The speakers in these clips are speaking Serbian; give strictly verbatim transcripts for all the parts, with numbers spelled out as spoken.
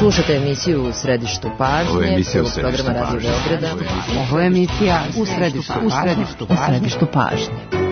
Slušajte emisiju U središtu pažnje. Ovo je emisija U središtu programa Radio Beograda. Ovo je emisija U središtu pažnje. U središtu pažnje.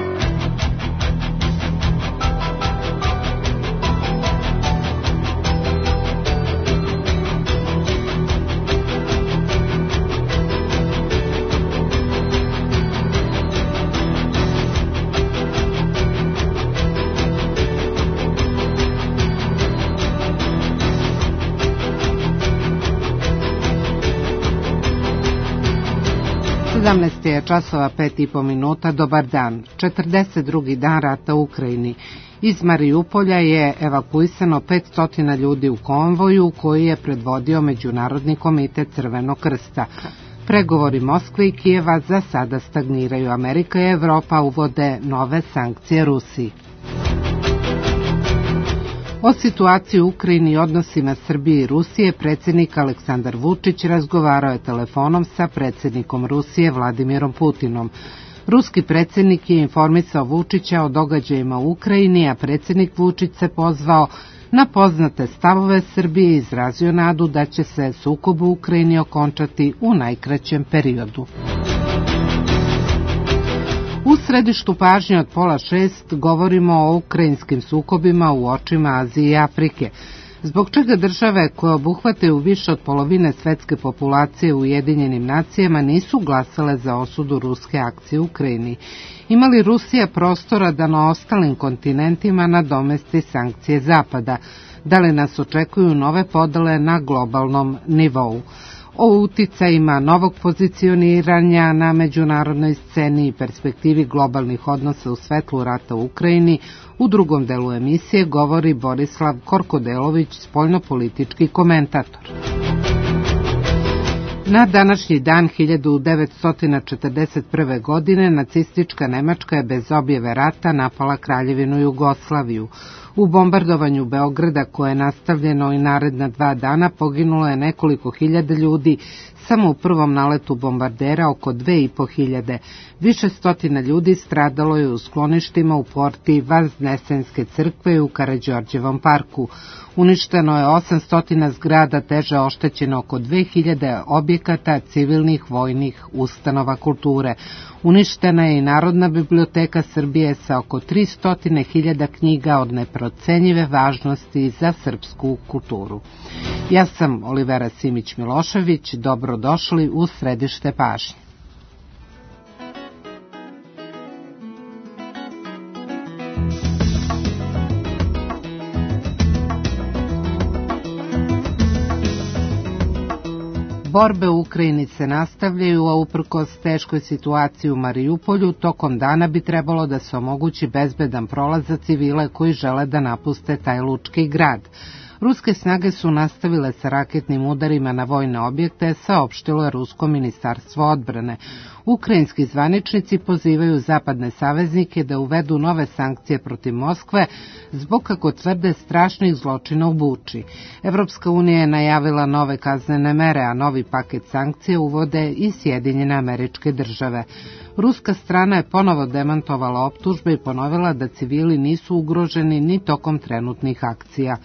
sedamnaest je časova pet i po minuta, dobar dan. četrdeset drugi dan rata u Ukrajini. Iz Marijupolja je evakuisano petsto ljudi u konvoju koji je predvodio Međunarodni komitet Crvenog krsta. Pregovori Moskve i Kijeva za sada stagniraju. Amerika i Evropa uvode nove sankcije Rusiji. O situaciji u Ukrajini i odnosima Srbije i Rusije predsjednik Aleksandar Vučić razgovarao je telefonom sa predsjednikom Rusije Vladimirom Putinom. Ruski predsjednik je informisao Vučića o događajima u Ukrajini, a predsjednik Vučić se pozvao na poznate stavove Srbije i izrazio nadu da će se sukob u Ukrajini okončati u najkraćem periodu. U središtu pažnje od pola šest govorimo o ukrajinskim sukobima u očima Azije i Afrike. Zbog čega države koje obuhvataju više od polovine svetske populacije u Ujedinjenim nacijama nisu glasale za osudu ruske akcije u Ukrajini? Ima li Rusija prostora da na ostalim kontinentima nadomesti sankcije Zapada? Da li nas očekuju nove podele na globalnom nivou? O uticajima novog pozicioniranja na međunarodnoj sceni i perspektivi globalnih odnosa u svetlu rata u Ukrajini u drugom delu emisije govori Borislav Korkodelović, spoljnopolitički komentator. Na današnji dan hiljadu devetsto četrdeset prve. godine nacistička Nemačka je bez objave rata napala Kraljevinu Jugoslaviju. U bombardovanju Beograda, koje je nastavljeno i naredna dva dana, poginulo je nekoliko hiljada ljudi, samo u prvom naletu bombardera oko dve i po hiljade. Više stotina ljudi stradalo je u skloništima u porti Vaznesenske crkve i u Karađorđevom parku. Uništeno je osamsto zgrada, teže oštećeno oko dve hiljade objekata civilnih vojnih ustanova kulture. Uništena je i Narodna biblioteka Srbije sa oko tristo hiljada knjiga od neprocenjive važnosti za srpsku kulturu. Ja sam Olivera Simić-Milošević, dobrodošli u središte pažnje. Borbe u Ukrajini se nastavljaju, a uprkos teškoj situaciji u Marijupolju, tokom dana bi trebalo da se omogući bezbedan prolaz za civile koji žele da napuste taj lučki grad. Ruske snage su nastavile sa raketnim udarima na vojne objekte, saopštilo je Rusko ministarstvo odbrane. Ukrajinski zvaničnici pozivaju zapadne saveznike da uvedu nove sankcije protiv Moskve zbog, kako tvrde, strašnih zločina u Buči. Evropska unija je najavila nove kaznene mere, a novi paket sankcija uvode i Sjedinjene Američke Države. Ruska strana je ponovo demantovala optužbe i ponovila da civili nisu ugroženi ni tokom trenutnih akcija.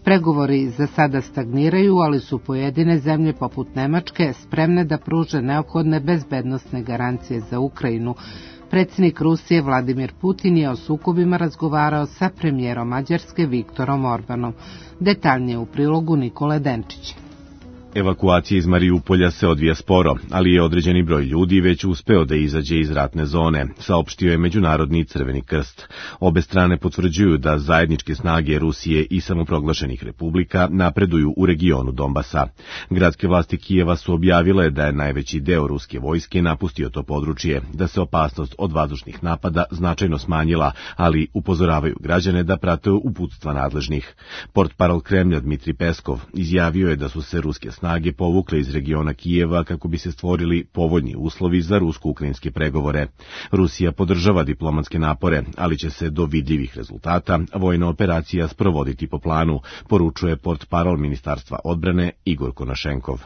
Pregovori za sada stagniraju, ali su pojedine zemlje poput Nemačke spremne da pruže neophodne bezbednosne garancije za Ukrajinu. Predsjednik Rusije Vladimir Putin je o sukobima razgovarao sa premijerom Mađarske Viktorom Orbanom. Detaljnije u prilogu Nikole Denčića. Evakuacija iz Marijupolja se odvija sporo, ali je određeni broj ljudi već uspeo da izađe iz ratne zone, saopštio je Međunarodni Crveni krst. Obe strane potvrđuju da zajedničke snage Rusije i samoproglašenih republika napreduju u regionu Donbasa. Gradske vlasti Kijeva su objavile da je najveći deo ruske vojske napustio to područje, da se opasnost od vazdušnih napada značajno smanjila, ali upozoravaju građane da prate uputstva nadležnih. Portparol Kremlja Dmitri Peskov izjavio je da su se ruske snage snage povukle iz regiona Kijeva kako bi se stvorili povoljni uslovi za rusko-ukrajinske pregovore. Rusija podržava diplomatske napore, ali će se do vidljivih rezultata vojna operacija sprovoditi po planu, poručuje portparol Ministarstva odbrane Igor Konašenkov.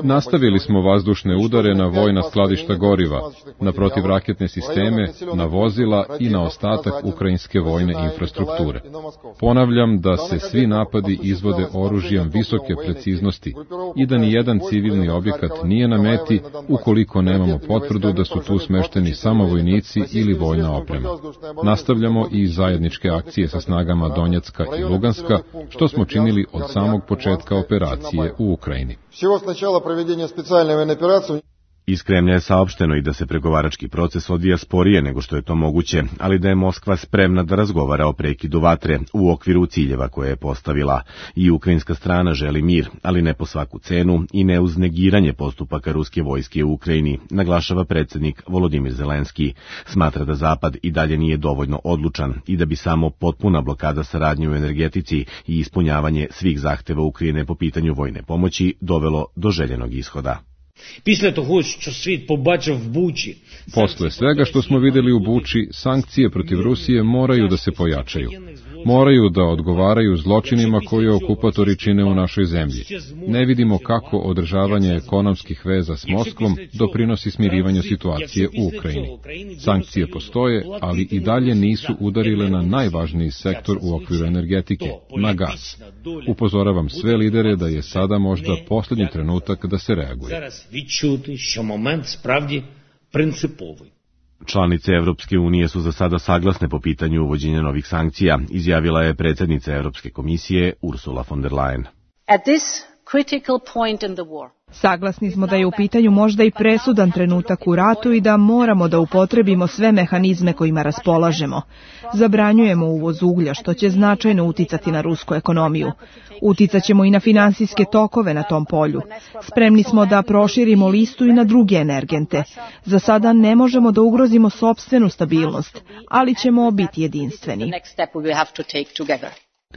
Nastavili smo vazdušne udare na vojna skladišta goriva, na protivraketne sisteme, na vozila i na ostatak ukrajinske vojne infrastrukture. Ponavljam da se svi napadi izvode oružjem visoke preciznosti i da ni jedan civilni objekat nije na meti ukoliko nemamo potvrdu da su tu smešteni samo vojnici ili vojna oprema. Nastavljamo i zajedničke akcije sa snagama Donjecka i Luganska, što smo činili od samog početka operacije u Ukrajini. Iz Kremlja je saopšteno i da se pregovarački proces odvija sporije nego što je to moguće, ali da je Moskva spremna da razgovara o prekidu vatre u okviru ciljeva koje je postavila. I ukrajinska strana želi mir, ali ne po svaku cenu i ne uz negiranje postupaka ruske vojske u Ukrajini, naglašava predsjednik Volodimir Zelenski. Smatra da Zapad i dalje nije dovoljno odlučan i da bi samo potpuna blokada saradnje u energetici i ispunjavanje svih zahteva Ukrajine po pitanju vojne pomoći dovelo do željenog ishoda. Posle svega što smo videli u Buči, sankcije protiv Rusije moraju da se pojačaju. Moraju da odgovaraju zločinima koje okupatori čine u našoj zemlji. Ne vidimo kako održavanje ekonomskih veza s Moskvom doprinosi smirivanju situacije u Ukrajini. Sankcije postoje, ali i dalje nisu udarile na najvažniji sektor u okviru energetike, na gas. Upozoravam sve lidere da je sada možda posljednji trenutak da se reaguje. Članice Evropske unije su za sada saglasne po pitanju uvođenja novih sankcija, izjavila je predsjednica Europske komisije Ursula von der Leyen. Saglasni smo da je u pitanju možda i presudan trenutak u ratu i da moramo da upotrebimo sve mehanizme kojima raspolažemo. Zabranjujemo uvoz uglja, što će značajno uticati na rusku ekonomiju. Uticaćemo i na finansijske tokove na tom polju. Spremni smo da proširimo listu i na druge energente. Za sada ne možemo da ugrozimo sopstvenu stabilnost, ali ćemo biti jedinstveni.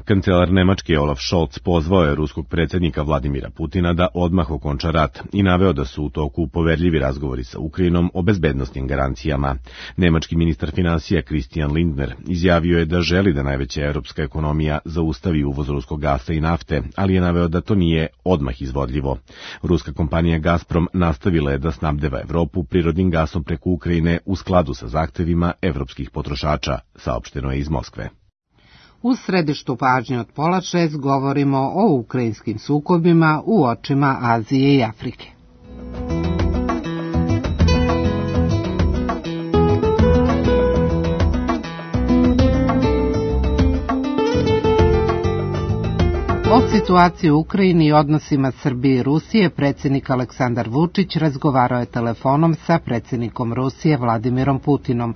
Kancelar Nemačke Olaf Scholz pozvao je ruskog predsjednika Vladimira Putina da odmah okonča rat i naveo da su u toku poverljivi razgovori sa Ukrajinom o bezbednosnim garancijama. Nemački ministar finansija Christian Lindner izjavio je da želi da najveća europska ekonomija zaustavi uvoz ruskog gasa i nafte, ali je naveo da to nije odmah izvodljivo. Ruska kompanija Gazprom nastavila je da snabdeva Evropu prirodnim gasom preko Ukrajine u skladu sa zahtevima evropskih potrošača, saopšteno je iz Moskve. U središtu pažnje od pola šest govorimo o ukrajinskim sukobima u očima Azije i Afrike. O situaciji u Ukrajini i odnosima Srbije i Rusije predsjednik Aleksandar Vučić razgovarao je telefonom sa predsjednikom Rusije Vladimirom Putinom.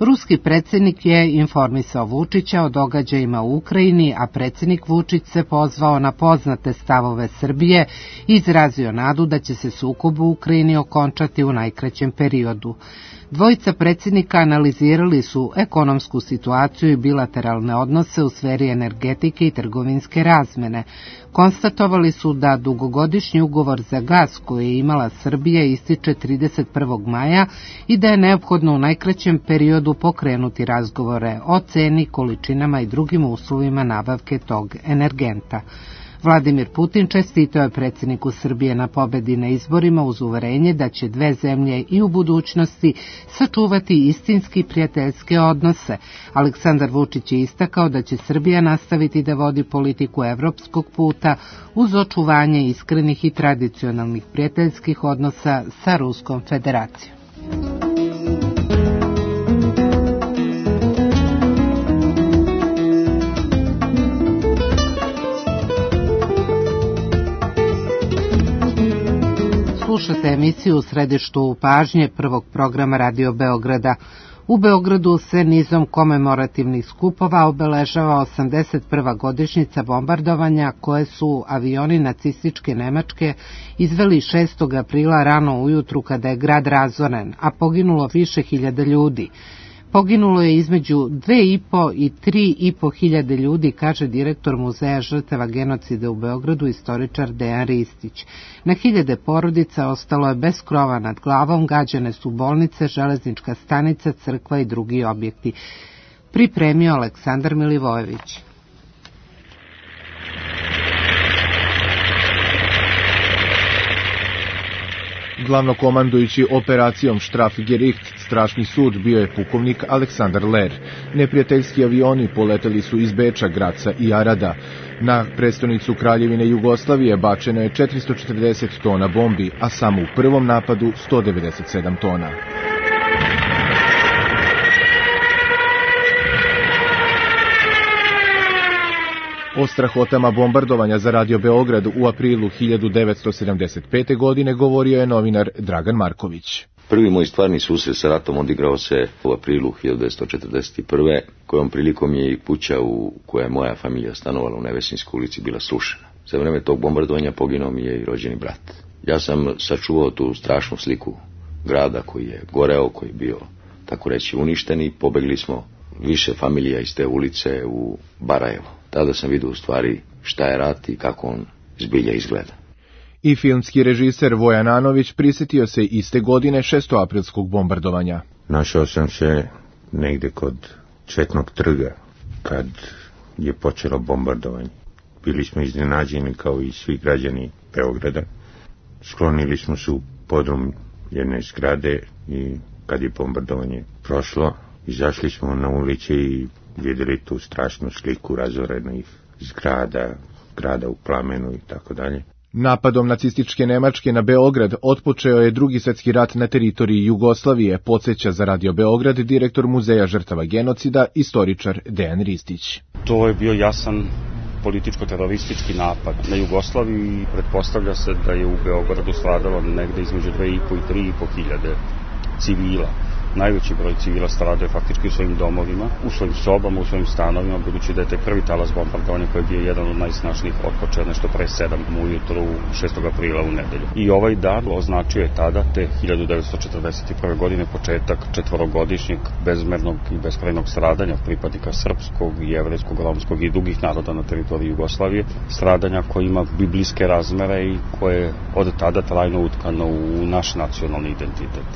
Ruski predsjednik je informisao Vučića o događajima u Ukrajini, a predsjednik Vučić se pozvao na poznate stavove Srbije i izrazio nadu da će se sukob u Ukrajini okončati u najkraćem periodu. Dvojica predsjednika analizirali su ekonomsku situaciju i bilateralne odnose u sferi energetike i trgovinske razmene. Konstatovali su da dugogodišnji ugovor za gas koji je imala Srbija ističe trideset prvog maja i da je neophodno u najkraćem periodu pokrenuti razgovore o ceni, količinama i drugim uslovima nabavke tog energenta. Vladimir Putin čestitao je predsjedniku Srbije na pobedi na izborima uz uverenje da će dve zemlje i u budućnosti sačuvati istinski prijateljske odnose. Aleksandar Vučić je istakao da će Srbija nastaviti da vodi politiku evropskog puta uz očuvanje iskrenih i tradicionalnih prijateljskih odnosa sa Ruskom federacijom. Slušate emisiju u središtu pažnje prvog programa Radio Beograda. U Beogradu se nizom komemorativnih skupova obeležava osamdeset prva godišnjica bombardovanja koje su avioni nacističke Nemačke izveli šestog aprila rano ujutru kada je grad razoren, a poginulo više hiljada ljudi. Poginulo je između dve i po i tri i po hiljade ljudi, kaže direktor Muzeja žrtava genocida u Beogradu, istoričar Dejan Ristić. Na hiljade porodica ostalo je bez krova nad glavom, gađane su bolnice, železnička stanica, crkva i drugi objekti. Pripremio Aleksandar Milivojević. Glavnokomandujući operacijom Strafgericht, strašni sud, bio je pukovnik Aleksandar Ler. Neprijateljski avioni poleteli su iz Beča, Graca i Arada. Na prestonicu Kraljevine Jugoslavije bačeno je četiristo četrdeset tona bombi, a samo u prvom napadu sto devedeset sedam tona. O strahotama bombardovanja za Radio Beograd u aprilu hiljadu devetsto sedamdeset pete. godine govorio je novinar Dragan Marković. Prvi moj stvarni susret sa ratom odigrao se u aprilu hiljadu devetsto četrdeset prve. kojom prilikom je i kuća u kojoj je moja familija stanovala u Nevesinskoj ulici bila srušena. Za vreme tog bombardovanja poginuo mi je i rođeni brat. Ja sam sačuvao tu strašnu sliku grada koji je goreo, koji je bio, tako reći, uništen i pobegli smo više familija iz te ulice u Barajevo. Tada sam vidio u stvari šta je rat i kako on zbilja izgleda. I filmski režiser Vojan Anović prisjetio se iste godine šestoaprilskog bombardovanja. Našao sam se negde kod Četnog trga kad je počelo bombardovanje. Bili smo iznenađeni kao i svi građani Beograda. Sklonili smo se u podrum jedne zgrade i kad je bombardovanje prošlo, izašli smo na ulici i vidjeli tu strašnu sliku razorenih zgrada, grada u plamenu i tako dalje. Napadom nacističke Nemačke na Beograd otpočeo je Drugi svjetski rat na teritoriji Jugoslavije, podsjeća za Radio Beograd direktor Muzeja žrtava genocida, istoričar Dejan Ristić. To je bio jasan političko-teroristički napad na Jugoslaviju i pretpostavlja se da je u Beogradu stradalo negde između dve i po i tri i po hiljade civila. Najveći broj civila stradao faktički u svojim domovima, u svojim sobama, u svojim stanovima, budući da je te prvi talas bombardovanja koji je bio jedan od najsnažnijih otpočeo nešto pre sedam ujutru šestog aprila u nedelju. I ovaj dan označio je tada, te hiljadu devetsto četrdeset prve. godine, početak četvorogodišnjeg bezmernog i beskrajnog stradanja pripadnika srpskog, jevrejskog, romskog i drugih naroda na teritoriji Jugoslavije, stradanja koje ima biblijske razmere i koje je od tada trajno utkano u naš nacionalni identitet.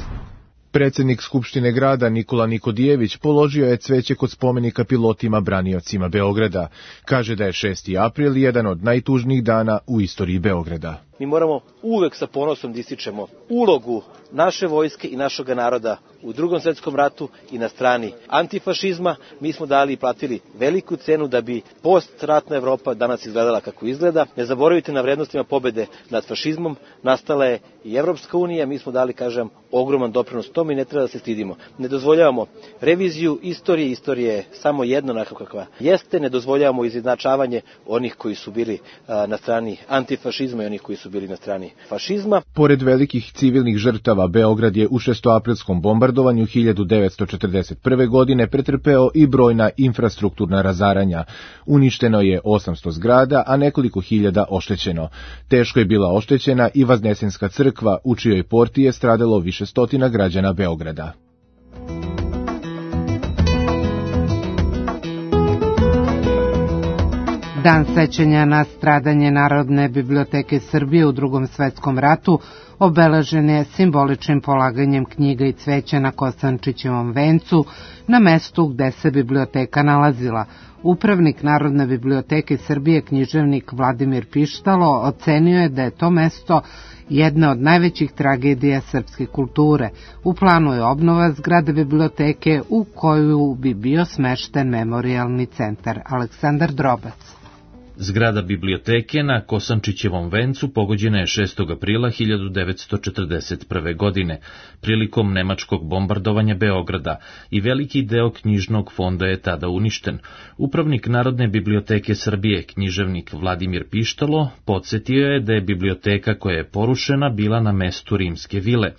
Predsjednik Skupštine grada Nikola Nikodijević položio je cveće kod spomenika pilotima braniocima Beograda. Kaže da je šesti april jedan od najtužnijih dana u istoriji Beograda. Mi moramo uvek sa ponosom da ističemo ulogu naše vojske i našeg naroda u Drugom svjetskom ratu i na strani antifašizma. Mi smo dali i platili veliku cenu da bi postratna Evropa danas izgledala kako izgleda. Ne zaboravite na vrednostima pobede nad fašizmom. Nastala je i Evropska unija. Mi smo dali, kažem, ogroman doprinos tome i ne treba da se stidimo. Ne dozvoljavamo reviziju istorije. Istorija je samo jedna onako kakva jeste. Ne dozvoljavamo izjednačavanje onih koji su bili a, na strani antifašizma i onih koji su bili na strani fašizma. Pored velikih civilnih žrtava, Beograd je u šestoaprilskom bombardovanju hiljadu devetsto četrdeset prve. godine pretrpeo i brojna infrastrukturna razaranja. Uništeno je osamsto zgrada, a nekoliko hiljada oštećeno. Teško je bila oštećena i Vaznesenska crkva, u čijoj porti je stradalo više stotina građana Beograda. Dan sećanja na stradanje Narodne biblioteke Srbije u Drugom svjetskom ratu obeležen je simboličnim polaganjem knjiga i cveća na Kosančićevom vencu na mestu gde se biblioteka nalazila. Upravnik Narodne biblioteke Srbije, književnik Vladimir Pištalo, ocenio je da je to mesto jedna od najvećih tragedija srpske kulture. U planu je obnova zgrade biblioteke u koju bi bio smešten memorijalni centar. Aleksandar Drobac. Zgrada biblioteke na Kosančićevom vencu pogođena je šestog aprila hiljadu devetsto četrdeset prve. godine, prilikom nemačkog bombardovanja Beograda i veliki deo knjižnog fonda je tada uništen. Upravnik Narodne biblioteke Srbije, književnik Vladimir Pištalo, podsjetio je da je biblioteka koja je porušena bila na mestu rimske vile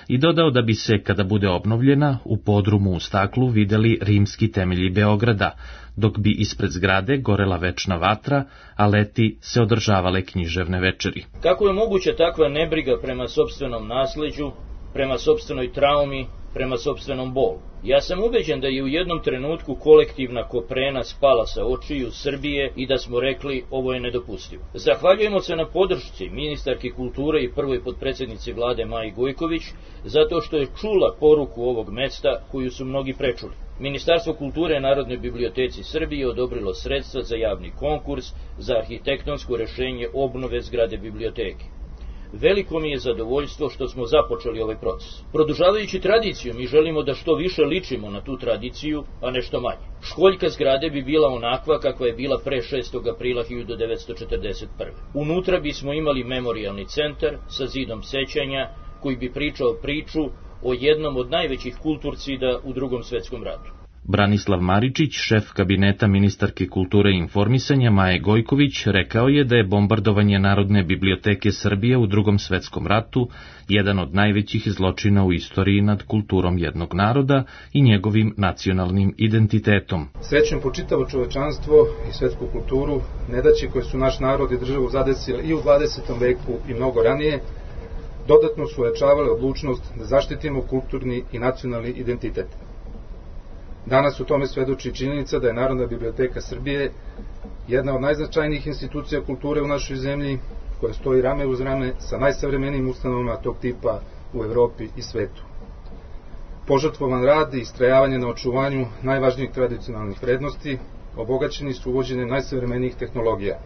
i dodao da bi se, kada bude obnovljena, u podrumu u staklu videli rimski temelji Beograda, dok bi ispred zgrade gorela večna vatra, a leti se održavale književne večeri. Kako je moguća takva nebriga prema sopstvenom nasleđu, prema sopstvenoj traumi, prema sopstvenom bolu? Ja sam ubeđen da je u jednom trenutku kolektivna koprena spala sa očiju Srbije i da smo rekli ovo je nedopustivo. Zahvaljujemo se na podršci ministarki kulture i prvoj potpredsjednici vlade Maji Gojković zato što je čula poruku ovog mesta koju su mnogi prečuli. Ministarstvo kulture Narodnoj biblioteci Srbije odobrilo sredstva za javni konkurs za arhitektonsko rešenje obnove zgrade biblioteke. Veliko mi je zadovoljstvo što smo započeli ovaj proces. Produžavajući tradiciju, mi želimo da što više ličimo na tu tradiciju, a nešto manje. Školjka zgrade bi bila onakva kakva je bila pre šestog aprila hiljadu devetsto četrdeset prve. Unutra bismo imali memorijalni centar sa zidom sećanja koji bi pričao priču o jednom od najvećih kulturcida u Drugom svetskom ratu. Branislav Maričić, šef kabineta ministarke kulture i informisanja Maje Gojković, rekao je da je bombardovanje Narodne biblioteke Srbije u Drugom svetskom ratu jedan od najvećih zločina u istoriji nad kulturom jednog naroda i njegovim nacionalnim identitetom. Srećem po čitavo čovečanstvo i svetsku kulturu, nedaće koje su naš narod i državu zadesile i u dvadesetom veku i mnogo ranije, dodatno su ojačavale odlučnost da zaštitimo kulturni i nacionalni identitet. Danas u tome svedoči činjenica da je Narodna biblioteka Srbije jedna od najznačajnijih institucija kulture u našoj zemlji, koja stoji rame uz rame sa najsavremenijim ustanovama tog tipa u Evropi i svetu. Požrtvovan rad i istrajavanje na očuvanju najvažnijih tradicionalnih vrednosti obogaćeni su uvođenjem najsavremenijih tehnologija.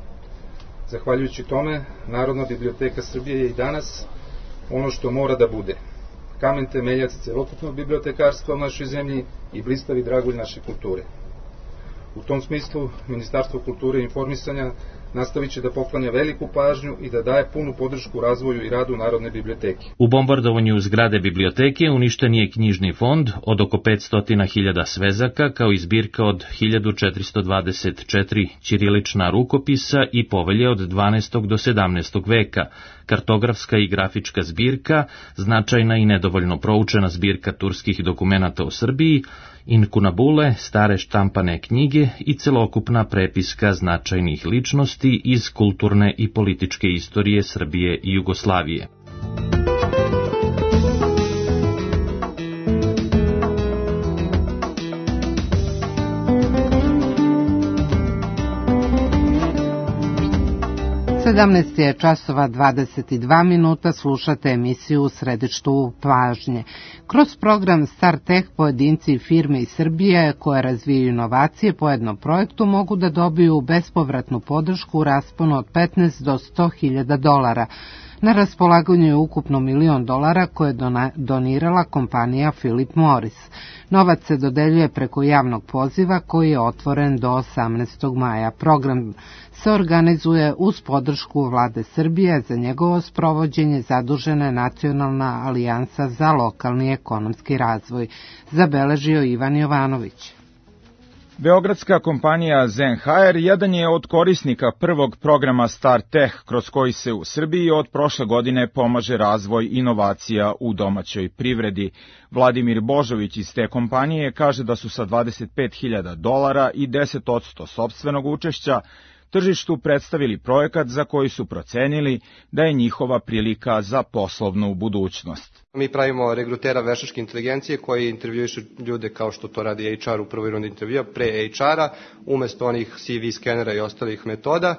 Zahvaljujući tome, Narodna biblioteka Srbije je i danas ono što mora da bude. Kamen temeljac celokupnog bibliotekarstva u našoj zemlji i blistavi dragulj naše kulture. U tom smislu, Ministarstvo kulture i informisanja nastavit će da poklanja veliku pažnju i da daje punu podršku razvoju i radu Narodne biblioteke. U bombardovanju zgrade biblioteke uništen je knjižni fond od oko petsto hiljada svezaka, kao i zbirka od hiljadu četiristo dvadeset četiri ćirilična rukopisa i povelje od dvanaestog do sedamnaestog veka, kartografska i grafička zbirka, značajna i nedovoljno proučena zbirka turskih dokumenata o Srbiji, inkunabule, stare štampane knjige i celokupna prepiska značajnih ličnosti iz kulturne i političke istorije Srbije i Jugoslavije. sedamnaest je časova dvadeset dva minuta, slušate emisiju U središtu pažnje. Kroz program StarTech pojedinci i firme iz Srbije koje razvijaju inovacije po jednom projektu mogu da dobiju bespovratnu podršku u rasponu od petnaest do sto hiljada dolara. Na raspolaganju je ukupno milion dolara koje je donirala kompanija Philip Morris. Novac se dodeljuje preko javnog poziva koji je otvoren do osamnaestog maja. Program se organizuje uz podršku vlade Srbije, za njegovo sprovođenje zadužena je Nacionalna alijansa za lokalni ekonomski razvoj, zabeležio Ivan Jovanović. Beogradska kompanija Zenhaer jedan je od korisnika prvog programa StarTech, kroz koji se u Srbiji od prošle godine pomaže razvoj inovacija u domaćoj privredi. Vladimir Božović iz te kompanije kaže da su sa dvadeset pet hiljada dolara i deset posto sopstvenog učešća tržištu predstavili projekat za koji su procenili da je njihova prilika za poslovnu budućnost. Mi pravimo regrutera veštačke inteligencije koji intervjuišu ljude kao što to radi H R u prvoj rundi intervjua, pre H R-a, umesto onih C V skenera i ostalih metoda,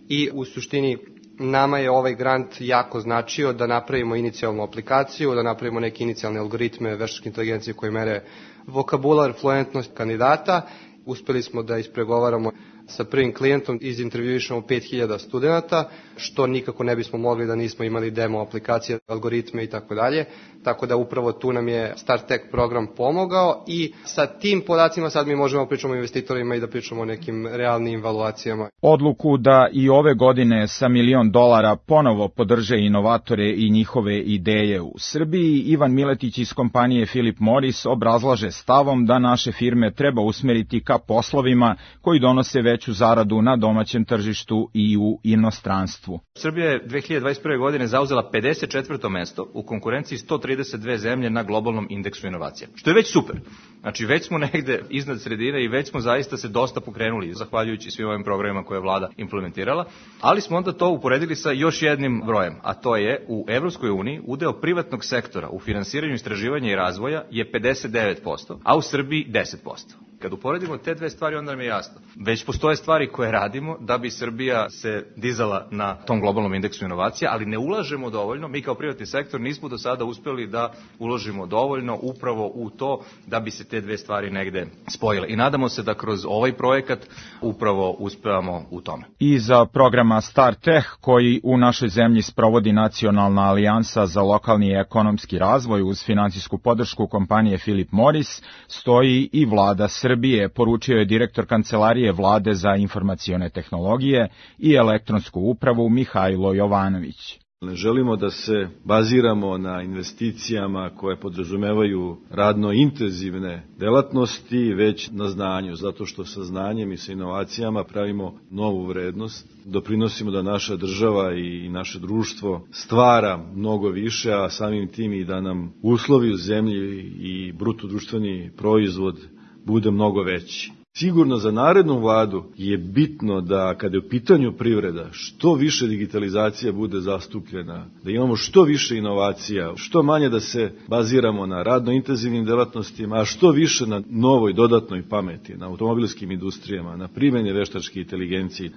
i u suštini nama je ovaj grant jako značio da napravimo inicijalnu aplikaciju, da napravimo neke inicijalne algoritme veštačke inteligencije koje mere vokabular, fluentnost kandidata. Uspeli smo da ispregovaramo sa prvim klijentom, izintervjuišemo pet hiljada studenta, što nikako ne bismo mogli da nismo imali demo aplikacije, algoritme i tako dalje. Tako da upravo tu nam je StarTech program pomogao i sa tim podacima sad mi možemo pričamo o investitorima i da pričamo o nekim realnim valuacijama. Odluku da i ove godine sa milion dolara ponovo podrže inovatore i njihove ideje u Srbiji, Ivan Miletić iz kompanije Philip Morris obrazlaže stavom da naše firme treba usmeriti ka poslovima koji donose veću zaradu na domaćem tržištu i u inostranstvu. Srbija je dve hiljade dvadeset prve. godine zauzela pedeset četvrto mesto u konkurenciji sto trideset dve zemlje na globalnom indeksu inovacija, što je već super. Znači već smo negde iznad sredine i već smo zaista se dosta pokrenuli zahvaljujući svim ovim programima koje je vlada implementirala, ali smo onda to uporedili sa još jednim brojem, a to je u Evropskoj uniji udeo privatnog sektora u finansiranju istraživanja i razvoja je pedeset devet posto, a u Srbiji deset posto. Kad uporedimo te dve stvari, onda nam je jasno. Već postoje stvari koje radimo da bi Srbija se dizala na tom globalnom indeksu inovacija, ali ne ulažemo dovoljno. Mi kao privatni sektor nismo do sada uspeli da uložimo dovoljno upravo u to da bi se te dve stvari negde spojile. I nadamo se da kroz ovaj projekat upravo uspevamo u tome. I za programa StarTech, koji u našoj zemlji sprovodi Nacionalna alijansa za lokalni i ekonomski razvoj uz finansijsku podršku kompanije Philip Morris, stoji i vlada Srbije, poručio je direktor Kancelarije vlade za informacione tehnologije i elektronsku upravu Mihajlo Jovanović. Ne želimo da se baziramo na investicijama koje podrazumevaju radno intenzivne delatnosti, već na znanju, zato što sa znanjem i sa inovacijama pravimo novu vrednost, doprinosimo da naša država i naše društvo stvara mnogo više, a samim tim i da nam uslovi u zemlji i bruto društveni proizvod bude mnogo veći. Sigurno za narednu vladu je bitno da kada je u pitanju privreda što više digitalizacija bude zastupljena, da imamo što više inovacija, što manje da se baziramo na radno intenzivnim delatnostima, a što više na novoj dodatnoj pameti, na automobilskim industrijama, na primjeni veštačke inteligencije.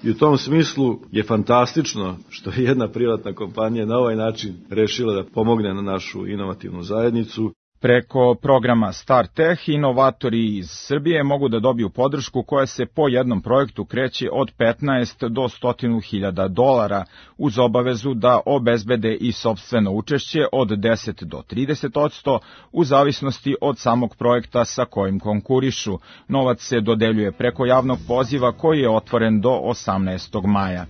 I u tom smislu je fantastično što je jedna privatna kompanija na ovaj način rešila da pomogne na našu inovativnu zajednicu. Preko programa StarTech inovatori iz Srbije mogu da dobiju podršku koja se po jednom projektu kreće od petnaest do sto hiljada dolara uz obavezu da obezbede i sopstveno učešće od deset do trideset odsto u zavisnosti od samog projekta sa kojim konkurišu. Novac se dodeljuje preko javnog poziva koji je otvoren do osamnaestog maja.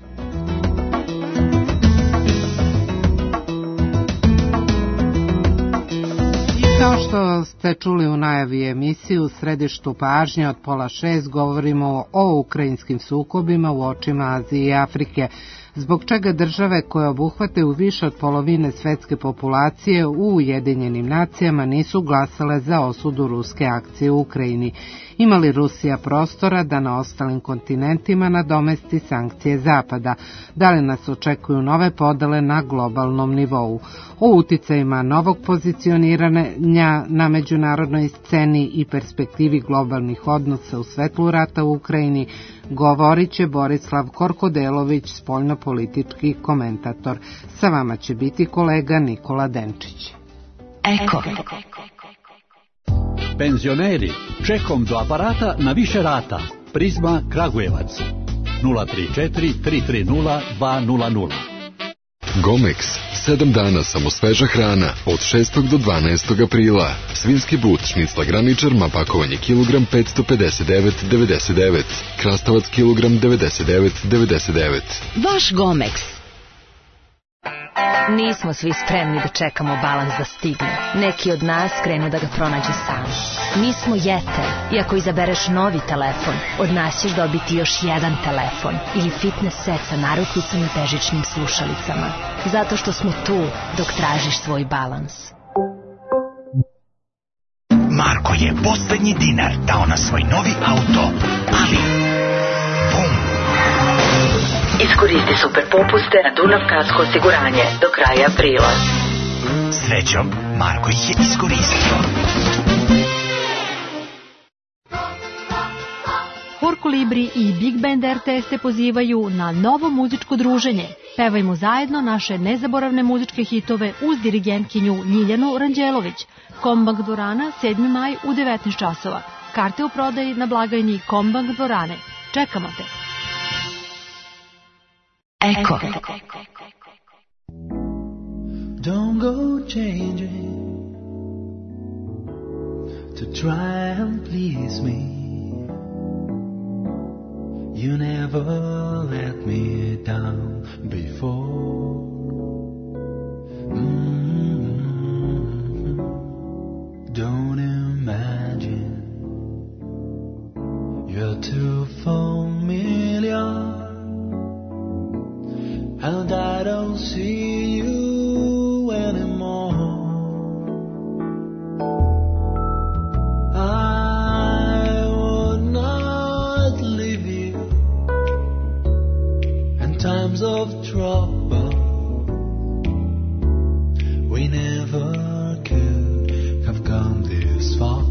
Kao što ste čuli u najavi emisiju, u središtu pažnje od pola šest govorimo o ukrajinskim sukobima u očima Azije i Afrike, zbog čega države koje obuhvataju više od polovine svetske populacije u Ujedinjenim nacijama nisu glasale za osudu ruske akcije u Ukrajini. Ima li Rusija prostora da na ostalim kontinentima nadomesti sankcije Zapada? Da li nas očekuju nove podele na globalnom nivou? O uticajima novog pozicioniranja na međunarodnoj sceni i perspektivi globalnih odnosa u svetlu rata u Ukrajini govorit će Borislav Korkodelović, spoljnopolitički komentator. Sa vama će biti kolega Nikola Denčić. Eko. Penzioneri, čekom do aparata na više rata. Prizma Kragujevac. nula tri četiri tri tri nula dva nula nula. Gomex. Sedam dana samo sveža hrana. Od šestog do dvanaestog aprila. Svinski but, šnicla graničar, pakovanje kilogram petsto pedeset devet devedeset devet. Krastavac kilogram devedeset devet devedeset devet. Vaš Gomex. Nismo svi spremni da čekamo balans da stigne. Neki od nas krenu da ga pronađu sami. Mi smo Jeter i ako izabereš novi telefon, od nas ćeš dobiti još jedan telefon ili fitness set sa narukvicama i bežičnim slušalicama. Zato što smo tu dok tražiš svoj balans. Marko je poslednji dinar dao na svoj novi auto, ali bum! Iskoristi super popuste na Dunav kasko osiguranje do kraja aprila. Srećom, Marko ih je iskoristio. Hor Kolibri i Big Band R T S te pozivaju na novo muzičko druženje. Pevajmo zajedno naše nezaboravne muzičke hitove uz dirigentkinju Ljiljanu Ranđelović. Kombank dvorana, sedmi maj u devetnaest časova. Karte u prodaji na blagajni Kombank dvorane. Čekamo te. Eko. Don't go changing to try and please me. You never let me down before. Mm-hmm. Don't imagine you're too familiar. And I don't see you anymore. I would not leave you in times of trouble. We never could have come this far.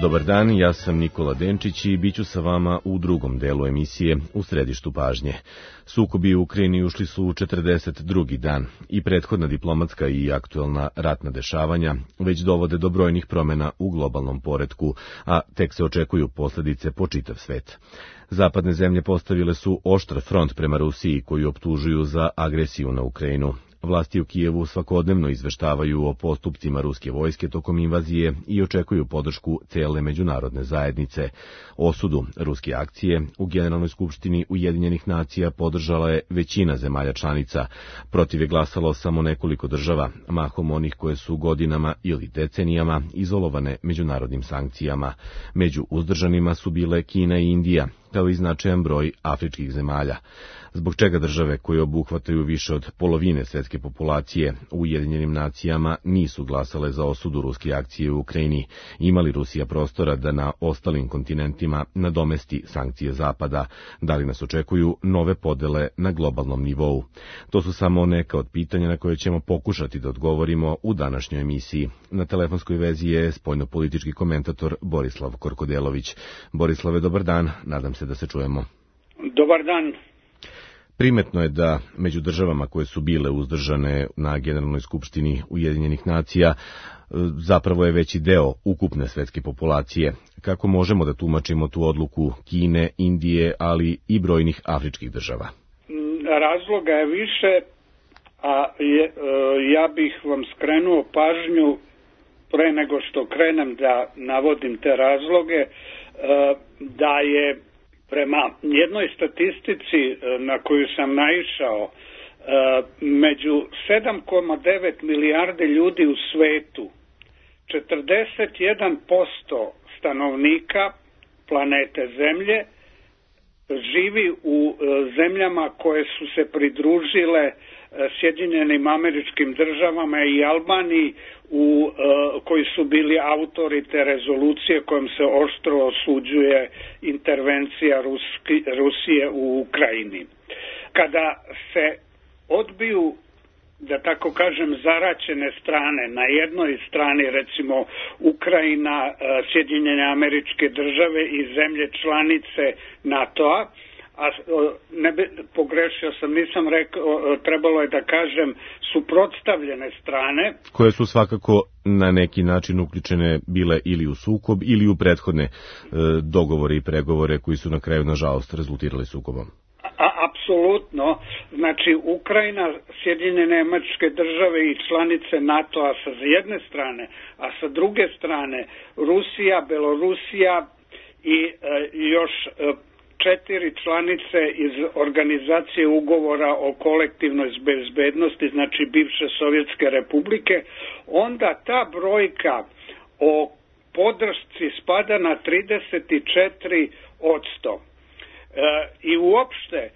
Dobar dan, ja sam Nikola Denčić i bit ću sa vama u drugom delu emisije U središtu pažnje. Sukobi u Ukrajini ušli su u četrdeset drugi dan i prethodna diplomatska i aktuelna ratna dešavanja već dovode do brojnih promjena u globalnom poretku, a tek se očekuju posljedice po čitav svet. Zapadne zemlje postavile su oštar front prema Rusiji koju optužuju za agresiju na Ukrajinu. Vlasti u Kijevu svakodnevno izveštavaju o postupcima ruske vojske tokom invazije i očekuju podršku cele međunarodne zajednice. Osudu ruske akcije u Generalnoj skupštini Ujedinjenih nacija podržala je većina zemalja članica. Protiv je glasalo samo nekoliko država, mahom onih koje su godinama ili decenijama izolovane međunarodnim sankcijama. Među uzdržanima su bile Kina i Indija, kao i značajan broj afričkih zemalja. Zbog čega države koje obuhvataju više od polovine svjetske populacije u Ujedinjenim nacijama nisu glasale za osudu ruske akcije u Ukrajini? Ima li Rusija prostora da na ostalim kontinentima nadomesti sankcije Zapada? Da li nas očekuju nove podele na globalnom nivou? To su samo neka od pitanja na koje ćemo pokušati da odgovorimo u današnjoj emisiji. Na telefonskoj vezi je spoljnopolitički komentator Borislav Korkodelović. Borislave, dobar dan, nadam se da se čujemo. Dobar dan. Primetno je da među državama koje su bile uzdržane na Generalnoj skupštini Ujedinjenih nacija zapravo je veći deo ukupne svetske populacije. Kako možemo da tumačimo tu odluku Kine, Indije, ali i brojnih afričkih država? Razloga je više, a je, ja bih vam skrenuo pažnju pre nego što krenem da navodim te razloge, da je prema jednoj statistici na koju sam naišao, među sedam zarez devet milijarde ljudi u svetu, četrdeset jedan posto stanovnika planete Zemlje živi u zemljama koje su se pridružile Sjedinjenim Američkim Državama i Albaniji, u, koji su bili autori te rezolucije kojom se oštro osuđuje intervencija Ruski, Rusije u Ukrajini. Kada se odbiju, da tako kažem, zaraćene strane, na jednoj strani recimo Ukrajina, Sjedinjene Američke Države i zemlje članice NATO-a, a ne bi, pogrešio sam, nisam rekao, trebalo je da kažem suprotstavljene strane. Koje su svakako na neki način uključene bile ili u sukob ili u prethodne e, dogovore i pregovore koji su na kraju nažalost rezultirali sukobom. A, apsolutno, znači Ukrajina, Sjedinjene Američke Države i članice NATO-a sa jedne strane, a sa druge strane Rusija, Belorusija i e, još e, četiri članice iz organizacije ugovora o kolektivnoj bezbednosti, znači bivše Sovjetske republike, onda ta brojka o podršci spada na trideset četiri posto. E, I uopšte, e,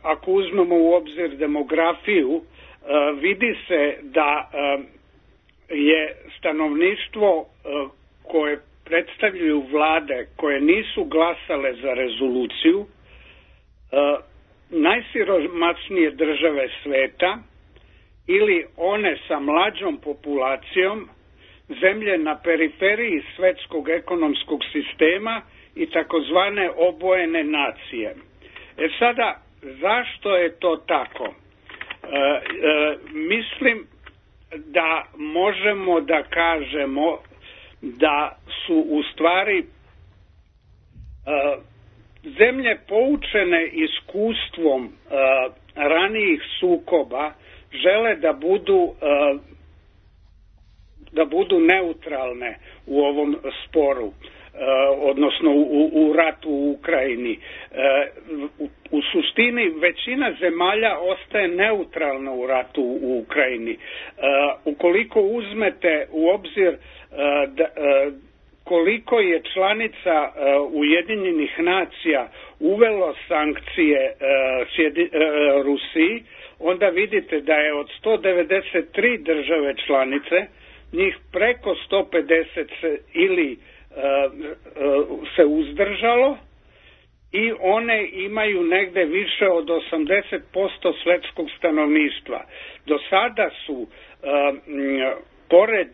ako uzmemo u obzir demografiju, e, vidi se da e, je stanovništvo e, koje predstavljaju vlade koje nisu glasale za rezoluciju, e, najsiromašnije države sveta ili one sa mlađom populacijom, zemlje na periferiji svetskog ekonomskog sistema i takozvane obojene nacije. E sada, zašto je to tako? E, e, mislim da možemo da kažemo da su u stvari uh, zemlje poučene iskustvom uh, ranijih sukoba žele da budu uh, da budu neutralne u ovom sporu, uh, odnosno u, u ratu u Ukrajini. Uh, u, u suštini većina zemalja ostaje neutralna u ratu u Ukrajini. Uh, ukoliko uzmete u obzir uh, da, uh, koliko je članica uh, Ujedinjenih nacija uvelo sankcije uh, sjedi, uh, Rusiji, onda vidite da je od sto devedeset tri države članice, njih preko sto pedeset se ili uh, uh, se uzdržalo i one imaju negde više od osamdeset posto svetskog stanovništva. Do sada su, uh, m, pored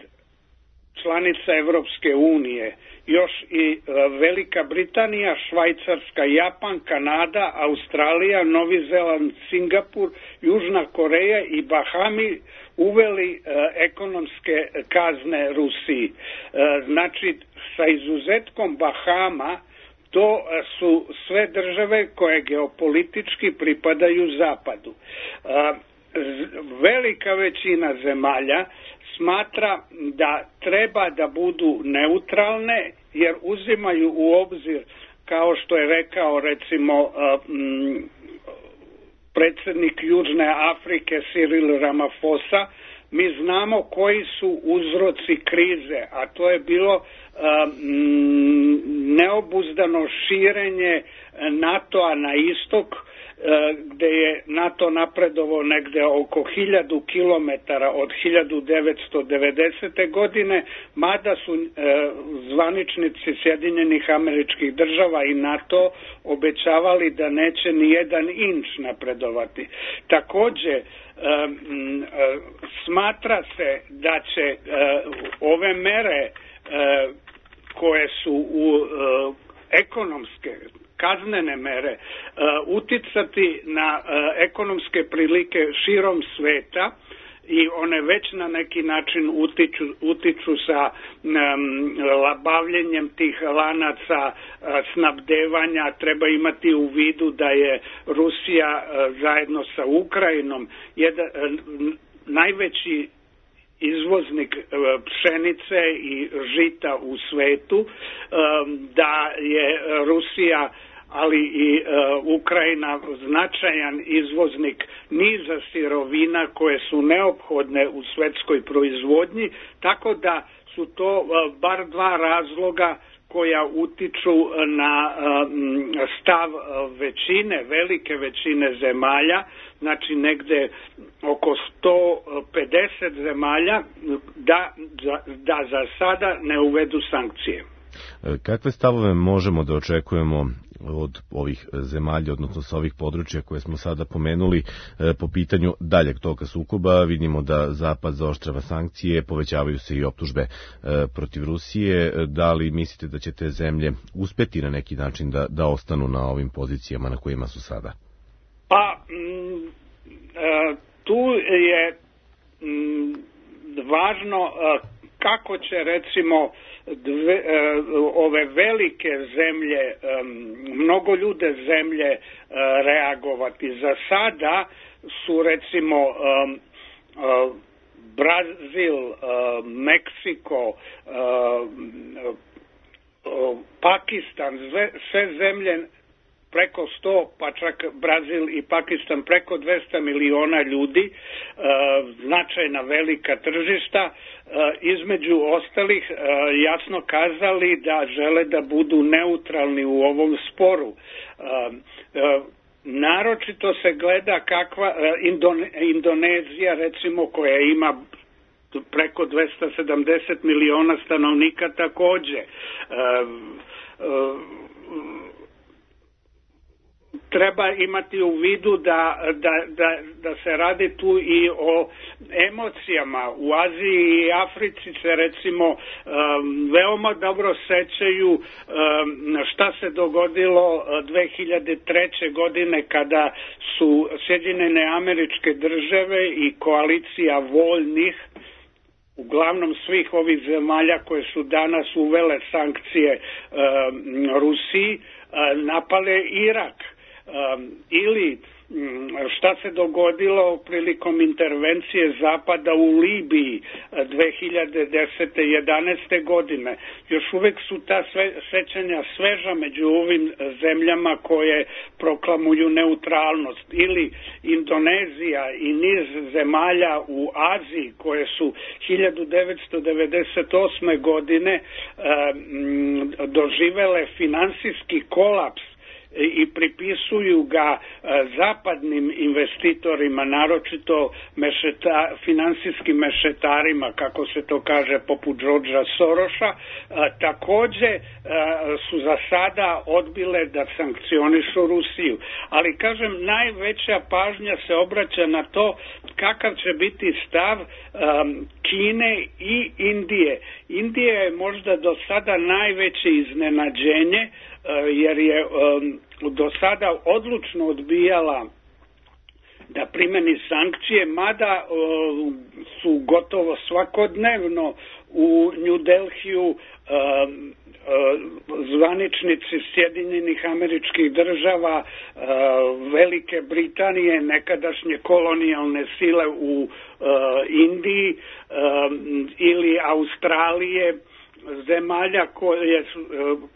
članica Evropske unije, još i Velika Britanija, Švajcarska, Japan, Kanada, Australija, Novi Zeland, Singapur, Južna Koreja i Bahami uveli ekonomske kazne Rusiji. Znači, sa izuzetkom Bahama, to su sve države koje geopolitički pripadaju Zapadu. Velika većina zemalja smatra da treba da budu neutralne, jer uzimaju u obzir, kao što je rekao recimo predsjednik Južne Afrike Cyril Ramaphosa, mi znamo koji su uzroci krize, a to je bilo neobuzdano širenje NATO-a na istok, gde je NATO napredovao negde oko hiljadu kilometara od hiljadu devetsto devedesete. godine, mada su zvaničnici Sjedinjenih Američkih Država i NATO obećavali da neće ni jedan inč napredovati. Takođe, smatra se da će ove mere koje su u ekonomske kaznene mere uticati na ekonomske prilike širom sveta, i one već na neki način utiču, utiču sa um, bavljenjem tih lanaca uh, snabdevanja. Treba imati u vidu da je Rusija uh, zajedno sa Ukrajinom jedan, uh, najveći izvoznik pšenice i žita u svetu, da je Rusija, ali i Ukrajina značajan izvoznik niza sirovina koje su neophodne u svetskoj proizvodnji, tako da su to bar dva razloga koja utiču na stav većine, velike većine zemalja, znači negde oko sto pedeset zemalja, da, da za sada ne uvedu sankcije. Kakve stavove možemo da očekujemo od ovih zemalja, odnosno sa ovih područja koje smo sada pomenuli po pitanju daljeg toka sukoba? Vidimo da Zapad zaoštrava sankcije, povećavaju se i optužbe protiv Rusije. Da li mislite da će te zemlje uspeti na neki način da, da ostanu na ovim pozicijama na kojima su sada? Pa, m, tu je m, važno kako će recimo Dve, ove velike zemlje, mnogo ljude zemlje reagovati. Za sada su recimo Brazil, Meksiko, Pakistan, sve zemlje preko sto, pa čak Brazil i Pakistan preko dvesta miliona ljudi, značajna velika tržišta, između ostalih jasno kazali da žele da budu neutralni u ovom sporu. Naročito se gleda kakva Indonezija, recimo, koja ima preko dvesta sedamdeset miliona stanovnika, takođe treba imati u vidu da, da, da, da se radi tu i o emocijama. U Aziji i Africi se recimo um, veoma dobro sećaju um, šta se dogodilo dve hiljade treće. godine kada su Sjedinjene Američke Države i koalicija voljnih, uglavnom svih ovih zemalja koje su danas uvele sankcije um, Rusiji, uh, napale Irak. Um, ili šta se dogodilo prilikom intervencije Zapada u Libiji dve hiljade desete jedanaeste. godine. Još uvek su ta sve, sećanja sveža među ovim zemljama koje proklamuju neutralnost. Ili Indonezija i niz zemalja u Aziji koje su hiljadu devetsto devedeset osme. godine um, doživele finansijski kolaps i pripisuju ga zapadnim investitorima, naročito mešeta, finansijskim mešetarima, kako se to kaže, poput Georgea Soroša. Takođe su za sada odbile da sankcionišu Rusiju. Ali, kažem, najveća pažnja se obraća na to kakav će biti stav Kine i Indije, Indija je možda do sada najveće iznenađenje, jer je do sada odlučno odbijala da primeni sankcije, mada su gotovo svakodnevno u New Delhiju zvaničnici Sjedinjenih Američkih Država, Velike Britanije, nekadašnje kolonijalne sile u Indiji ili Australije, zemalja koje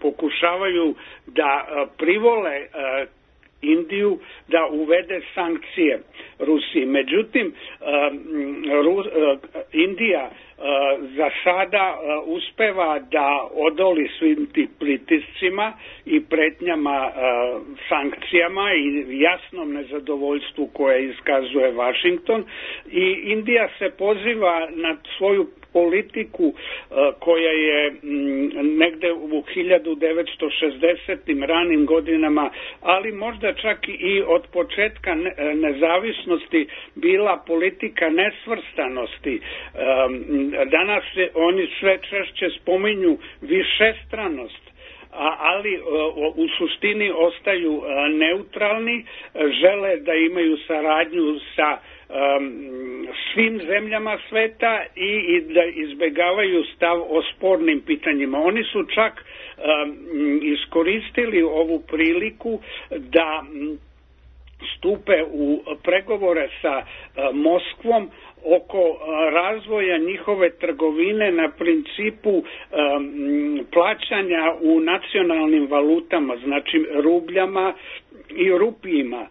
pokušavaju da privole Indiju da uvede sankcije Rusiji. Međutim, Indija za sada uspeva da odoli svim tim pritiscima i pretnjama sankcijama i jasnom nezadovoljstvu koje iskazuje Washington, i Indija se poziva na svoju politiku koja je negde u hiljadu devetsto šezdesetim ranim godinama, ali možda čak i od početka nezavisnosti bila politika nesvrstanosti. Danas oni sve češće spominju višestranost, ali u suštini ostaju neutralni, žele da imaju saradnju sa svim zemljama sveta i da izbegavaju stav o spornim pitanjima. Oni su čak iskoristili ovu priliku da stupe u pregovore sa Moskvom oko razvoja njihove trgovine na principu um, plaćanja u nacionalnim valutama, znači rubljama i rupijima, um,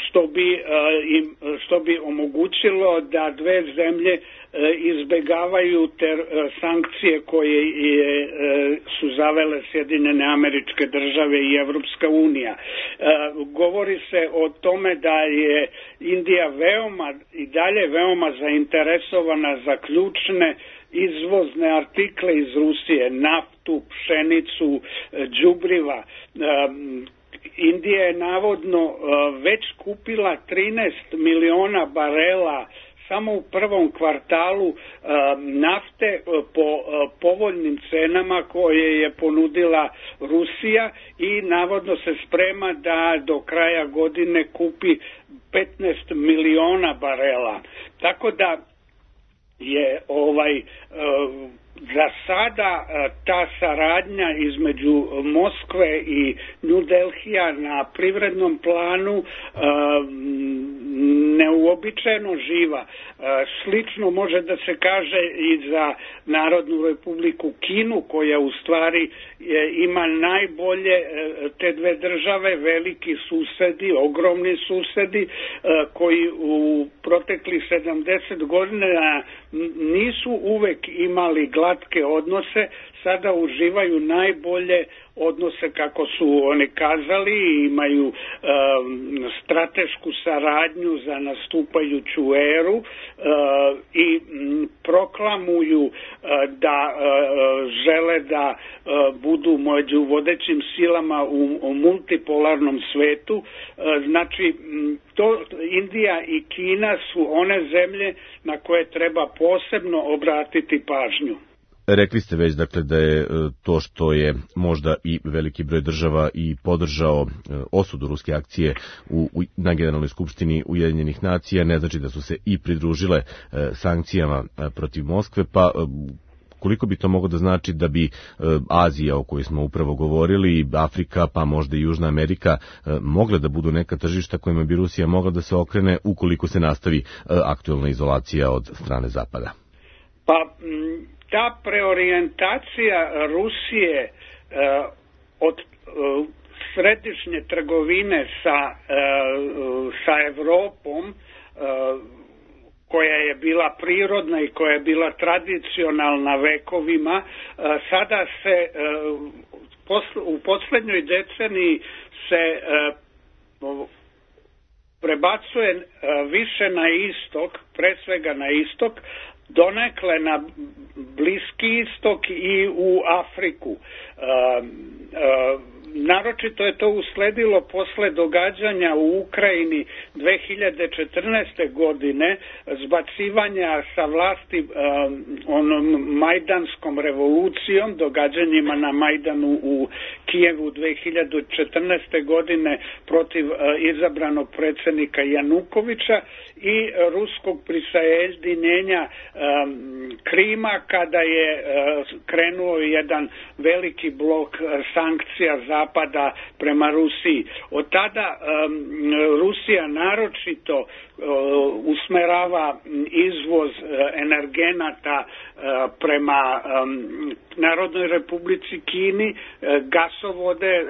što bi, uh, im, što bi omogućilo da dve zemlje uh, izbegavaju te uh, sankcije koje je, uh, su zavele Sjedinjene Američke Države i Evropska unija. Uh, govori se o tome da je Indija veoma i dalje veoma zainteresovana za ključne izvozne artikle iz Rusije, naftu, pšenicu, đubriva. Indija je navodno već kupila trinaest miliona barela samo u prvom kvartalu nafte po povoljnim cenama koje je ponudila Rusija i navodno se sprema da do kraja godine kupi petnaest miliona barela. Tako da je ovaj za sada ta saradnja između Moskve i New Delhija na privrednom planu neuobičajeno živa. Slično može da se kaže i za Narodnu Republiku Kinu, koja u stvari ima najbolje te dve države, veliki susedi, ogromni susedi, koji u proteklih sedamdeset godina nisu uvek imali glatke odnose, sada uživaju najbolje odnose, kako su oni kazali, imaju um, stratešku saradnju za nastupajuću eru uh, i m, proklamuju uh, da uh, žele da uh, budu među vodećim silama u, u multipolarnom svetu. Uh, znači, to, Indija i Kina su one zemlje na koje treba posebno obratiti pažnju. Rekli ste već dakle da je to što je možda i veliki broj država i podržao osudu ruske akcije u, u, na Generalnoj skupštini Ujedinjenih nacija, ne znači da su se i pridružile e, sankcijama e, protiv Moskve, pa e, koliko bi to moglo da znači da bi e, Azija, o kojoj smo upravo govorili, Afrika, pa možda i Južna Amerika, e, mogle da budu neka tržišta kojima bi Rusija mogla da se okrene ukoliko se nastavi e, aktuelna izolacija od strane Zapada? Pa m, ta preorijentacija Rusije uh, od uh, središnje trgovine sa, uh, sa Evropom, uh, koja je bila prirodna i koja je bila tradicionalna vekovima, uh, sada se uh, posl- u poslednjoj deceniji se uh, prebacuje uh, više na istok, pre svega na istok, donekle na Bliski istok i u Afriku. Uh, uh, naročito je to usledilo posle događanja u Ukrajini dve hiljade četrnaeste. godine, zbacivanja sa vlasti onom majdanskom revolucijom, događanjima na Majdanu u Kijevu dve hiljade četrnaeste. godine protiv izabranog predsjednika Janukovića i ruskog prisajedinjenja Krima kada je krenuo jedan veliki blok sankcija Zapada prema Rusiji. Od tada Rusija naročito usmerava izvoz energenata prema Narodnoj Republici Kini, gasovode,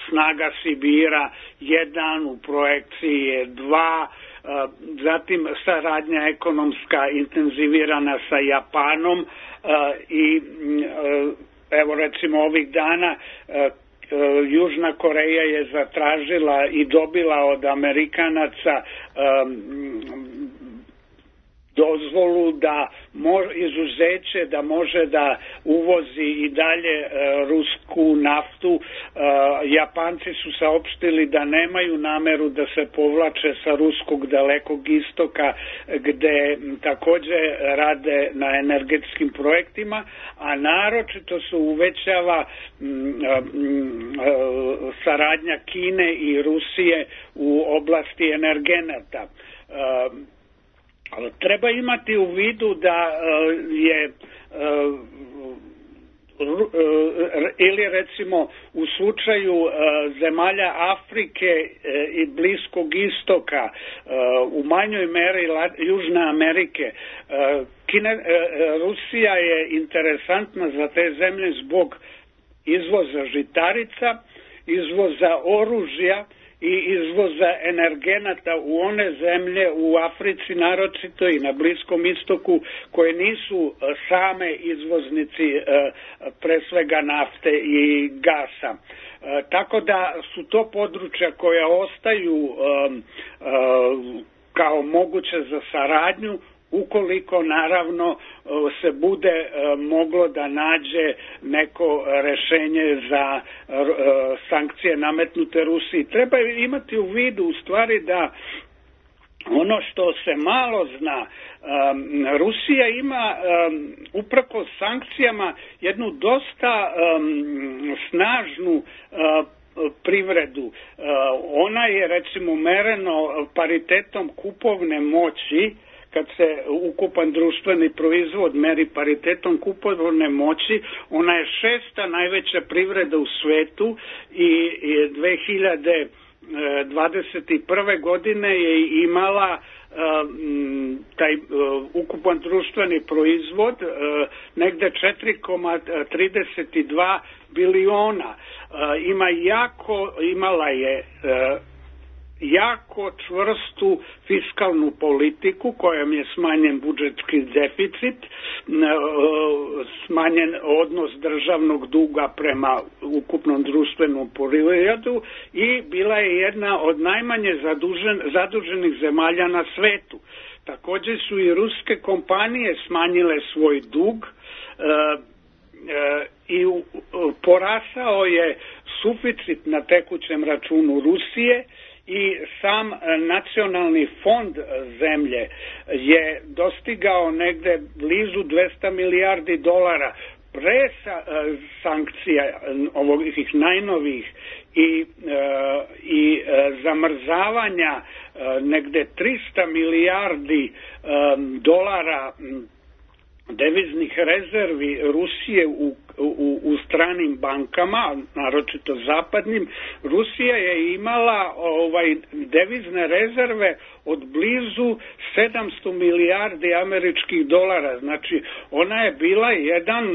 snaga Sibira jedan, u projekciji je dva, zatim saradnja ekonomska intenzivirana sa Japanom i evo recimo ovih dana Južna Koreja je zatražila i dobila od Amerikanaca dozvolu da izuzeće da može da uvozi i dalje rusku naftu. Japanci su saopštili da nemaju nameru da se povlače sa ruskog Dalekog istoka gde takođe rade na energetskim projektima, a naročito se uvećava saradnja Kine i Rusije u oblasti energenata. Treba imati u vidu da je ili recimo u slučaju zemalja Afrike i Bliskog istoka, u manjoj meri Južne Amerike, Kine, Rusija je interesantna za te zemlje zbog izvoza žitarica, izvoza oružja i izvoza energenata u one zemlje u Africi naročito i na Bliskom istoku koje nisu same izvoznici pre svega nafte i gasa. Tako da su to područja koja ostaju kao moguće za saradnju ukoliko naravno se bude moglo da nađe neko rešenje za sankcije nametnute Rusiji. Treba imati u vidu u stvari da ono što se malo zna, Rusija ima uprkos sankcijama jednu dosta snažnu privredu. Ona je recimo mereno paritetom kupovne moći, kad se ukupan društveni proizvod meri paritetom kupovne moći, ona je šesta najveća privreda u svetu i dve hiljade dvadeset prve. godine je imala taj ukupan društveni proizvod negde četiri zarez trideset dva biliona. Ima jako, imala je jako čvrstu fiskalnu politiku kojom je smanjen budžetski deficit, smanjen odnos državnog duga prema ukupnom društvenom proizvodu i bila je jedna od najmanje zadužen, zaduženih zemalja na svetu. Takođe su i ruske kompanije smanjile svoj dug i porasao je suficit na tekućem računu Rusije i sam nacionalni fond zemlje je dostigao negde blizu dvesta milijardi dolara pre sankcija ovih najnovih i, i zamrzavanja negde trista milijardi dolara deviznih rezervi Rusije u, u, u stranim bankama, naročito zapadnim. Rusija je imala ovaj devizne rezerve od blizu sedamsto milijardi američkih dolara. Znači, ona je bila jedan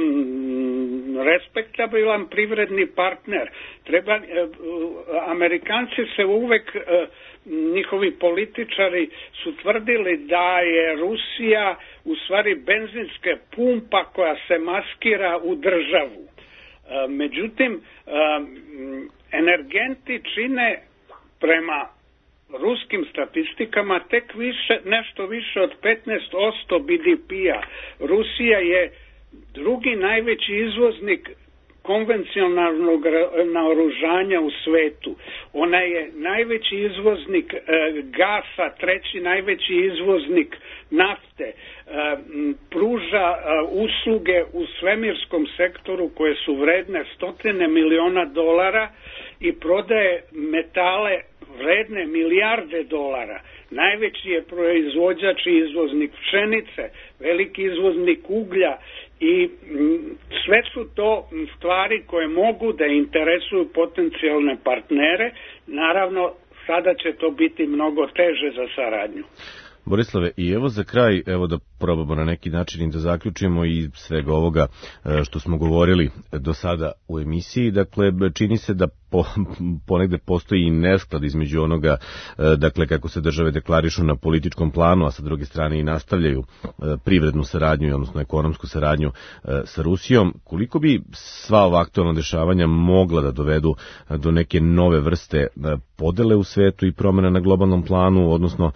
respektabilan privredni partner. Treba, Amerikanci se uvek, njihovi političari su tvrdili da je Rusija u stvari benzinska pumpa koja se maskira u državu. Međutim, energenti čine prema ruskim statistikama tek više, nešto više od petnaest posto B D P-a. Rusija je drugi najveći izvoznik konvencionalnog naoružanja u svetu. Ona je najveći izvoznik gasa, treći najveći izvoznik nafte, pruža usluge u svemirskom sektoru koje su vredne stotine miliona dolara i prodaje metale vredne milijarde dolara. Najveći je proizvođač i izvoznik pšenice, veliki izvoznik uglja i sve su to stvari koje mogu da interesuju potencijalne partnere. Naravno, sada će to biti mnogo teže za saradnju. Borislave, i evo za kraj, evo da probamo na neki način da zaključimo i svega ovoga što smo govorili do sada u emisiji. Dakle, čini se da po, ponegde postoji i nesklad između onoga, dakle, kako se države deklarišu na političkom planu, a sa druge strane i nastavljaju privrednu saradnju, odnosno ekonomsku saradnju sa Rusijom. Koliko bi sva ova aktualna dešavanja mogla da dovedu do neke nove vrste podele u svetu i promjena na globalnom planu, odnosno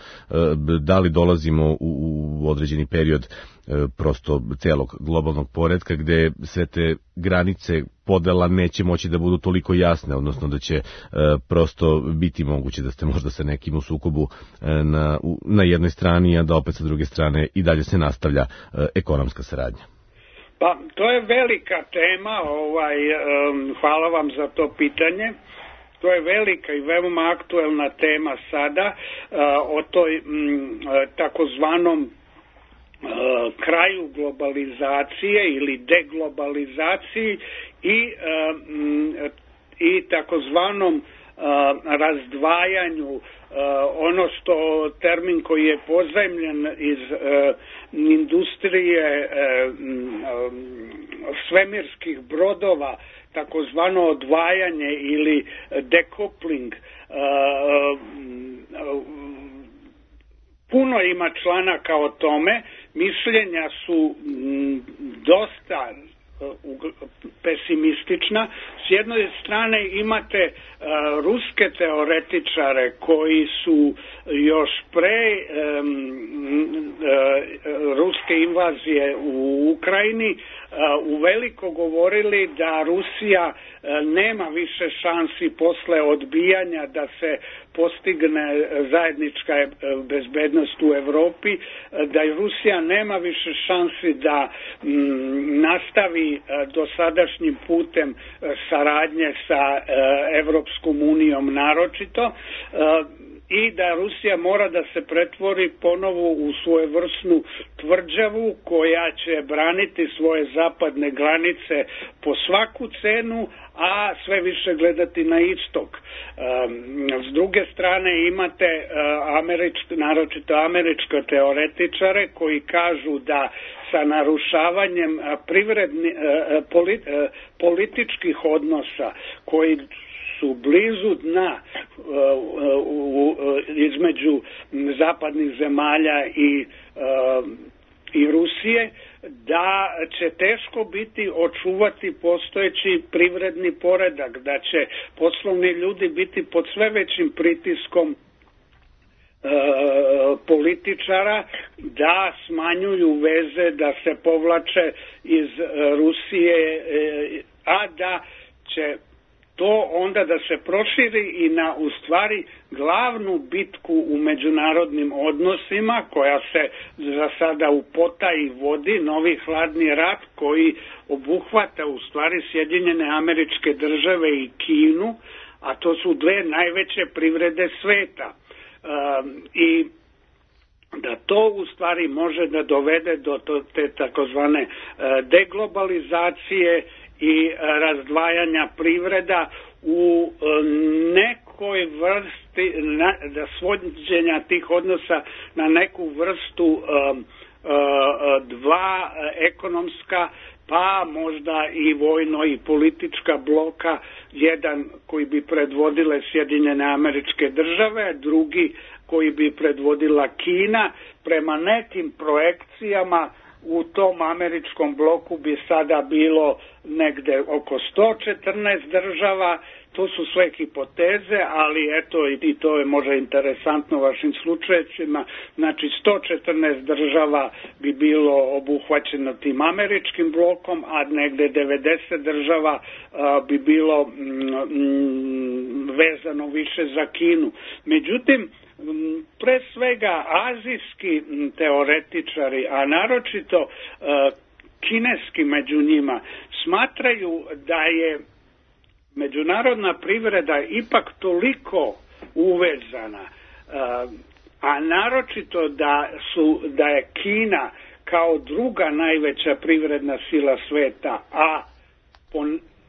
da li dolazimo u, u određeni period prosto celog globalnog poretka gde sve te granice podela neće moći da budu toliko jasne, odnosno da će e, prosto biti moguće da ste možda sa nekim u sukobu e, na, u, na jednoj strani, a da opet sa druge strane i dalje se nastavlja e, ekonomska saradnja. Pa, to je velika tema, ovaj, um, hvala vam za to pitanje. To je velika i veoma aktuelna tema sada uh, o toj m, takozvanom Uh, kraju globalizacije ili deglobalizaciji i, uh, m, i takozvanom uh, razdvajanju, uh, ono što termin koji je pozajmljen iz uh, industrije uh, um, svemirskih brodova, takozvano odvajanje ili decoupling. Uh, uh, Puno ima članaka o tome, mišljenja su m, dosta uh, pesimistična. S jedne strane imate uh, ruske teoretičare koji su još pre um, uh, ruske invazije u Ukrajini uh, uveliko govorili da Rusija uh, nema više šansi posle odbijanja da se postigne zajednička bezbednost u Evropi, da Rusija nema više šansi da m, nastavi dosadašnjim putem saradnje sa Evropskom unijom naročito, i da Rusija mora da se pretvori ponovo u svojevrsnu tvrđavu koja će braniti svoje zapadne granice po svaku cenu, a sve više gledati na istok. S druge strane imate američke, naročito američke teoretičare koji kažu da sa narušavanjem privredni, političkih odnosa koji su blizu dna uh, uh, uh, između zapadnih zemalja i, uh, i Rusije, da će teško biti očuvati postojeći privredni poredak, da će poslovni ljudi biti pod sve većim pritiskom Uh, političara da smanjuju veze, da se povlače iz uh, Rusije, uh, a da će to onda da se proširi i na u stvari glavnu bitku u međunarodnim odnosima koja se za sada u potaji vodi, novi hladni rat koji obuhvata u stvari Sjedinjene Američke Države i Kinu, a to su dve najveće privrede sveta. Um, i da to u stvari može da dovede do te takozvane uh, deglobalizacije i razdvajanja privreda u nekoj vrsti na, da svođenja tih odnosa na neku vrstu um, uh, dva ekonomska, pa možda i vojno i politička bloka, jedan koji bi predvodile Sjedinjene Američke Države, drugi koji bi predvodila Kina. Prema nekim projekcijama u tom američkom bloku bi sada bilo negde oko sto četrnaest država. To su sve hipoteze, ali eto i to je možda interesantno vašim slučajevima. Znači sto četrnaest država bi bilo obuhvaćeno tim američkim blokom, a negde devedeset država a, bi bilo mm, vezano više za Kinu. Međutim, pre svega azijski teoretičari, a naročito a, kineski među njima, smatraju da je međunarodna privreda ipak toliko uvezana, a naročito da su da je Kina kao druga najveća privredna sila sveta, a po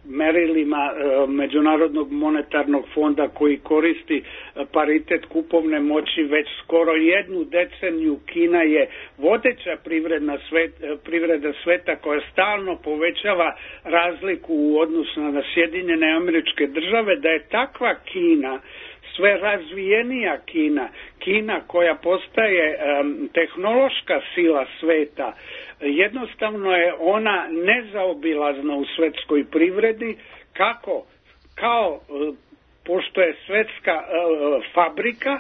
merilima Međunarodnog monetarnog fonda koji koristi paritet kupovne moći već skoro jednu deceniju, Kina je vodeća privredna svet, privreda sveta koja stalno povećava razliku u odnosu na Sjedinjene Američke Države, da je takva Kina sve razvijenija Kina, Kina koja postaje um, tehnološka sila sveta, jednostavno je ona nezaobilazna u svetskoj privredi, kako, kao, uh, pošto je svetska uh, fabrika,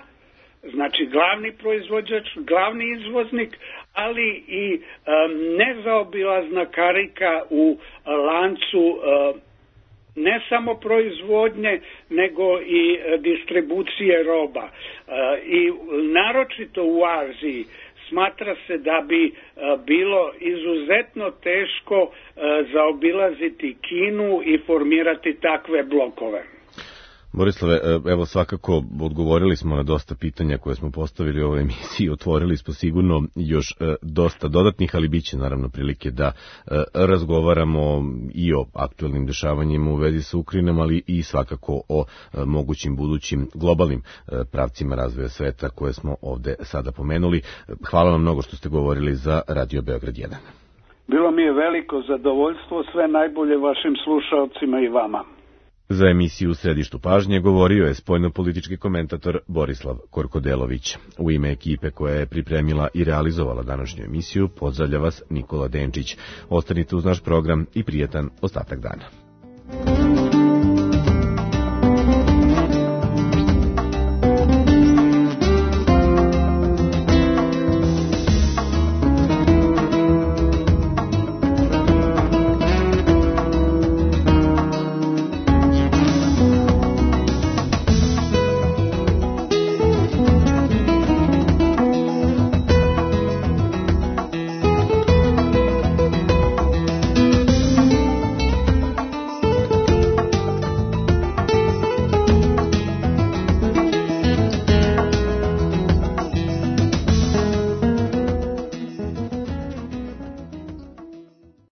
znači glavni proizvođač, glavni izvoznik, ali i um, nezaobilazna karika u lancu uh, ne samo proizvodnje, nego i distribucije roba. I naročito u Aziji smatra se da bi bilo izuzetno teško zaobilaziti Kinu i formirati takve blokove. Borislave, evo svakako odgovorili smo na dosta pitanja koje smo postavili u ovoj emisiji, otvorili smo sigurno još dosta dodatnih, ali bit će naravno prilike da razgovaramo i o aktuelnim dešavanjima u vezi sa Ukrajinom, ali i svakako o mogućim budućim globalnim pravcima razvoja sveta koje smo ovde sada pomenuli. Hvala vam mnogo što ste govorili za Radio Beograd jedan. Bilo mi je veliko zadovoljstvo, sve najbolje vašim slušalcima i vama. Za emisiju U središtu pažnje govorio je spoljnopolitički komentator Borislav Korkodelović. U ime ekipe koja je pripremila i realizovala današnju emisiju pozdravlja vas Nikola Denčić. Ostanite uz naš program i prijetan ostatak dana.